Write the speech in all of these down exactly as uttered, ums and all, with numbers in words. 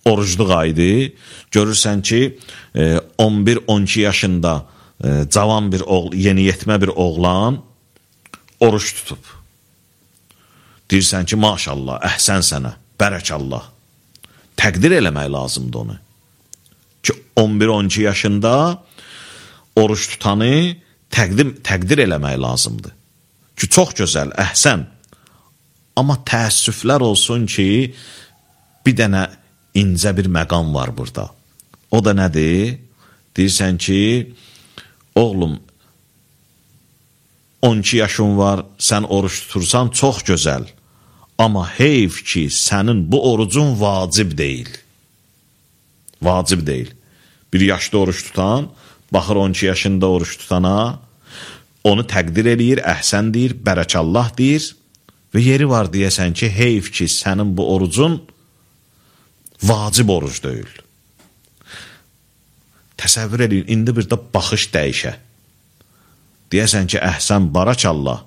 orucluq aydı. Görürsən ki, on bir on iki yaşında cavan bir oğlan, yeniyetmə bir oğlan oruç tutub. Deyirsən ki, maşallah, əhsən sənə, bərəkallah. Təqdir eləmək lazımdır onu. Ki, on bir on iki yaşında oruç tutanı təqdim, təqdir eləmək lazımdır. Ki, çox gözəl, əhsən. Amma təəssüflər olsun ki, bir dənə incə bir məqam var burada. O da nədir? Deyirsən ki, oğlum, on iki yaşın var, sən oruç tutursan, çox gözəl. Amma heyf ki, sənin bu orucun vacib deyil. Vacib deyil. Bir yaşda oruç tutan, baxır on iki yaşında oruç tutana, onu təqdir eləyir, əhsən deyir, bərəkallah deyir və yeri var deyəsən ki, heyf ki, sənin bu orucun vacib oruc deyil. Təsəvvür edin, indi bir də baxış dəyişə. Deyəsən ki, əhsən, barakallah,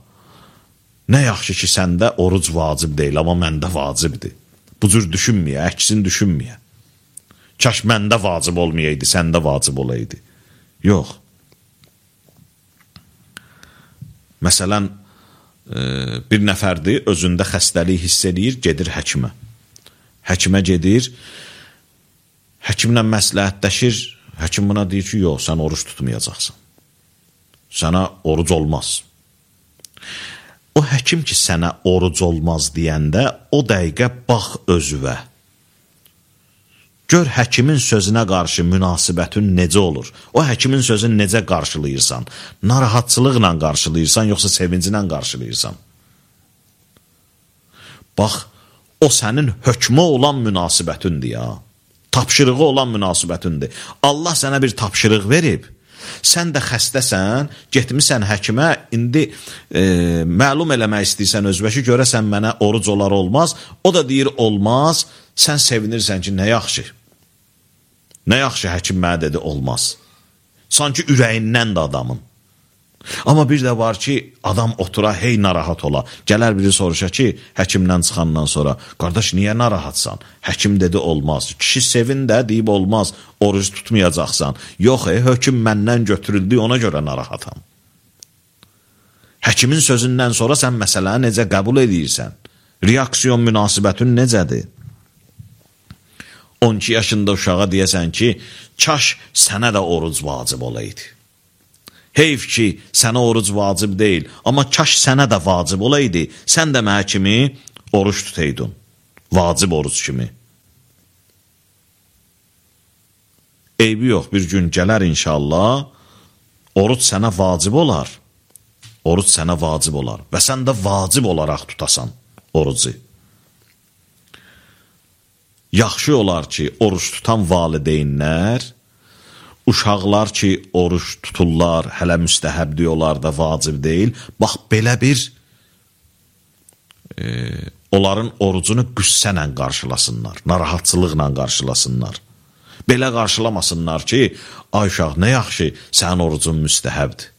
nə yaxşı ki, səndə oruc vacib deyil, amma məndə vacibdir. Bu cür düşünməyə, əksin düşünməyə. Kaş məndə vacib olmayaydı, səndə vacib olaydı. Yox. Məsələn, bir nəfərdir, özündə xəstəlik hiss edir, gedir həkimə. Həkimə gedir, həkimlə məsləhətləşir, həkim buna deyir ki, yox, sən oruç tutmayacaqsan. Sənə oruc olmaz. O həkim ki, sənə oruc olmaz deyəndə, o dəqiqə bax özüvə. Gör həkimin sözünə qarşı münasibətin necə olur? O həkimin sözünü necə qarşılayırsan? Narahatçılıqla qarşılayırsan, yoxsa sevinclə qarşılayırsan? Bax, o sənin hökmə olan münasibətindir ya. Tapşırığı olan münasibətindir. Allah sənə bir tapşırıq verib. Sən də xəstəsən, getmisən həkimə, indi e, məlum eləmək istəyirsən özbə ki, görəsən mənə oruc olar olmaz. O da deyir olmaz, sən sevinirsən ki, nə yaxşı. Nə yaxşı həkim mənə dedi olmaz. Sanki ürəyindən də adamın. Amma bir də var ki, adam otura, hey narahat ola. Gələr biri soruşa ki, həkimdən çıxandan sonra, qardaş, niyə narahatsan? Həkim dedi olmaz. Kişi sevin də deyib olmaz, oruc tutmayacaqsan. Yox, e, hökm məndən götürüldü, ona görə narahatam. Həkimin sözündən sonra sən məsələni necə qəbul edirsən? Reaksiyon münasibətin necədir? on iki yaşında uşağa deyəsən ki, kaş sənə də oruc vacib olaydı. Heyf ki, sənə oruc vacib deyil, amma kaş sənə də vacib olaydı, sən də mənə kimi oruç tutaydın. Vacib oruc kimi. Eybi yox, bir gün gələr inşallah, oruc sənə vacib olar. Oruc sənə vacib olar və sən də vacib olaraq tutasan orucu. Yaxşı olar ki, oruç tutan valideynlər, uşaqlar ki, oruç tuturlar, hələ müstəhəb diyorlar da vacib deyil. Bax, belə bir e, onların orucunu qüssənlə qarşılasınlar, narahatçılıqla qarşılasınlar. Belə qarşılamasınlar ki, ay uşaq, nə yaxşı, sənin orucun müstəhəbdir.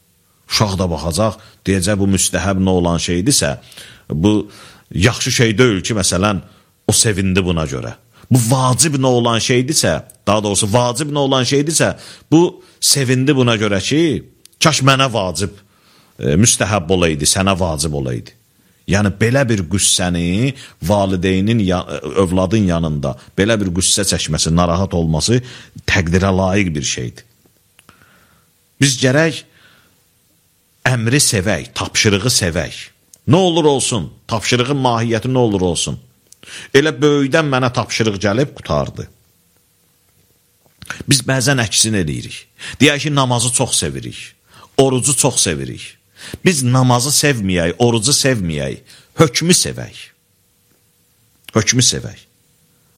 Uşaq da baxacaq, deyəcək, bu müstəhəb nə olan şeydirsə, bu yaxşı şey deyil ki, məsələn, o sevindi buna görə. Bu vacib nə olan şeydirsə, daha doğrusu vacib nə olan şeydirsə, bu sevindi buna görə ki, kaş mənə vacib, e, müstəhəb olaydı, sənə vacib olaydı. Yəni, belə bir qüssəni valideynin, övladın yanında, belə bir qüssə çəkməsi, narahat olması təqdirə layiq bir şeydir. Biz gərək əmri sevək, tapşırığı sevək. Nə olur olsun, tapşırığın mahiyyəti nə olur olsun. Elə böyükdən mənə tapşırıq gəlib qutardı. Biz bəzən əksin edirik. Deyək ki, namazı çox sevirik. Orucu çox sevirik. Biz namazı sevməyək, orucu sevməyək. Hökmü sevək. Hökmü sevək.